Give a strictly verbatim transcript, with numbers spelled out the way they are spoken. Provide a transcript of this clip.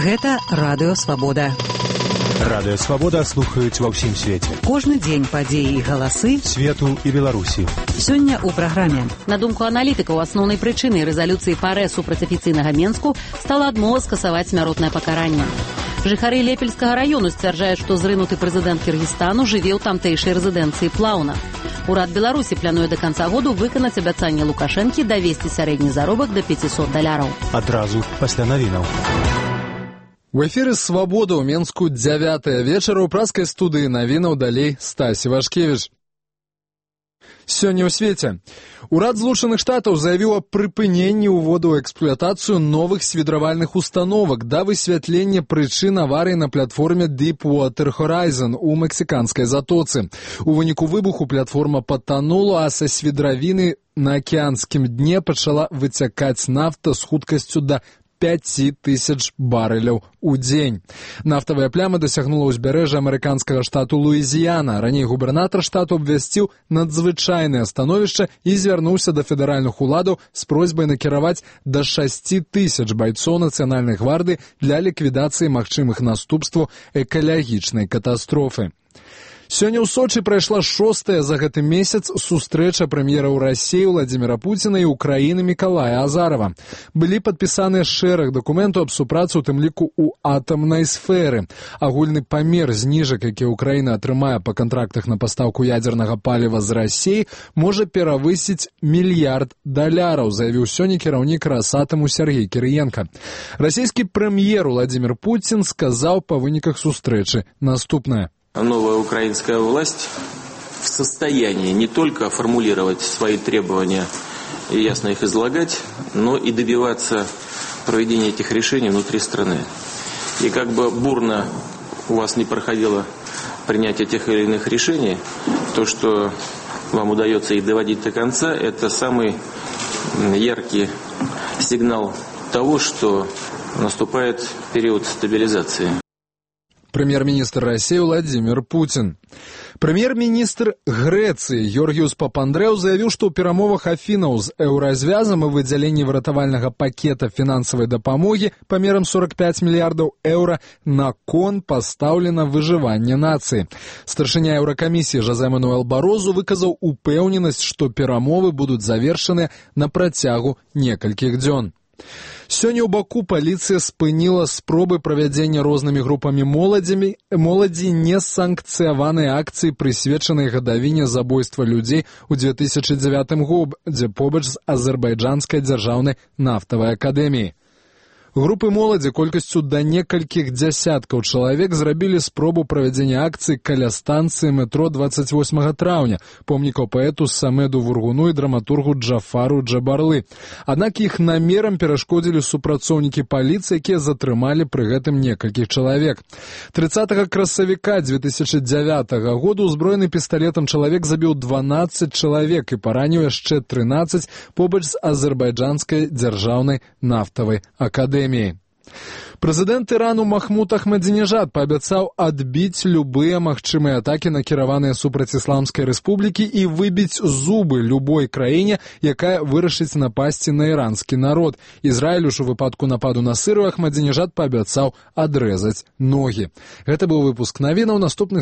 Гэта Радыё Свабода. Радыё Свабода слухаюць ва ўсім свеце. Кожны дзень падзеі і галасы свету і Беларусі. Сёння ў праграме. На думку аналітыкаў, асноўнай прычынай рэзалюцыі ПАРЭ супраць афіцыйнага Менску стала адмова скасаваць смяротнае пакаранне. Жыхары Лепельскага раёну сцвярджаюць, што зрынуты прэзідэнт Кіргізстану жыве ў тамтэйшай рэзідэнцыі Плаўна. Урад Беларусі плануе да канца году выканаць абяцанне Лукашэнкі давесці сярэдні заробак да пяцісот даляраў. Адразу пасля навінаў. У эфіры «Свабода» ў Менску дзявятая вечара ў праскай студыі навінаў далей Стась Івашкевіч. Сёння ў свеце. Урад Злучаных Штатаў заявіў аб прыпыненні ўводу ў эксплуатацыю новых свідравальных установак да высвятлення прычын аварыі на платформе Deepwater Horizon у мексіканскай затоцы. У выніку выбуху платформа патанула, а са свідравіны на акіянскім дне пачала выцякаць нафта з хуткасцю да пяць тысяч барэляў у дзень. Нафтавая пляма дасягнула ўзбярэжжа амерыканскага штату Луізіяна. Раней губернатар штату абвясціў надзвычайнае становішча і звярнуўся да федэральных уладаў з просьбай накіраваць да шасці тысяч байцоў нацыянальнай гвардыі для ліквідацыі магчымых наступстваў экалагічнай катастрофы. Сёння ў Сочы прайшла шостая за гэты месяц сустрэча прэм'ераў Расіі Владзіміра Пуціна і Украіны Мікалая Азарова. Былі падпісаныя шэраг дакументаў аб супрацы, у тым ліку ў атамнай сферы. Агульны памер зніжак, які Украіна атрымае па кантрактах на пастаўку ядзернага паліва з Расіі, можа перавысіць мільярд даляраў, заявіў сёння кіраўнік Расатаму Сергей Кірыенка. Расійскі прэм'ер Владзімір Пуцін сказаў па выніках сустрэчы наступнае. Новая украинская власть в состоянии не только формулировать свои требования и ясно их излагать, но и добиваться проведения этих решений внутри страны. И как бы бурно у вас не проходило принятие тех или иных решений, то, что вам удается их доводить до конца, это самый яркий сигнал того, что наступает период стабилизации. Прэм'ер-міністр Расіі Владзімір Пуцін. Прэм'ер-міністр Грэцыі Георгіус Папандрэў заявіў, што ў перамовах Афінаў з еўразвязам і выдзяленні выратавальнага пакета фінансавай дапамогі памерам сорок пяць мільярдаў еўра на кон пастаўлена выжыванне нацыі. Старшыня Еўракамісіі Жозе Мануэл Барозу выказаў упэўненасць, што перамовы будуць завершаныя на працягу некалькіх дзён. Сёння ў Баку паліцыя спыніла спробы правядзення рознымі групамі моладзямі моладзі несанкцыяванай акцыі, прысвечанай гадавіне забойства людзей у две тысячы дзевятым годзе побач з азербайджанскай дзяржаўнай нафтавай акадэміяй. Групы моладзі колькасцю да некалькіх дзясяткаў чалавек зрабілі спробу правядзення акцыі каля станцыі метро дваццаць восьмага траўня, помнікаў паэту Самеду Вургуну і драматургу Джафару Джабарлы. Аднак іх намерам перашкодзілі супрацоўнікі паліцыі, якія затрымалі пры гэтым некалькіх чалавек. трыццатага красавіка две тысячы дзявятага году узброены пісталетам чалавек забіў дванаццаць чалавек і параніў яшчэ трынаццаць побач з азербайджанскай дзяржаўнай нафтавай акадэміяй. Прэзідэнт Ірану Махмуд Ахмадзінежад паабяцаў адбіць любыя магчымыя атакі, накіраваныя супраць Ісламскай рэспублікі, і выбіць зубы любой краіне, якая вырашыць напасці на іранскі народ. Ізраілю ж у выпадку нападу на Сырыю Ахмадзінежад паабяцаў адрэзаць ногі. Гэта быў выпуск навінаў. Наступны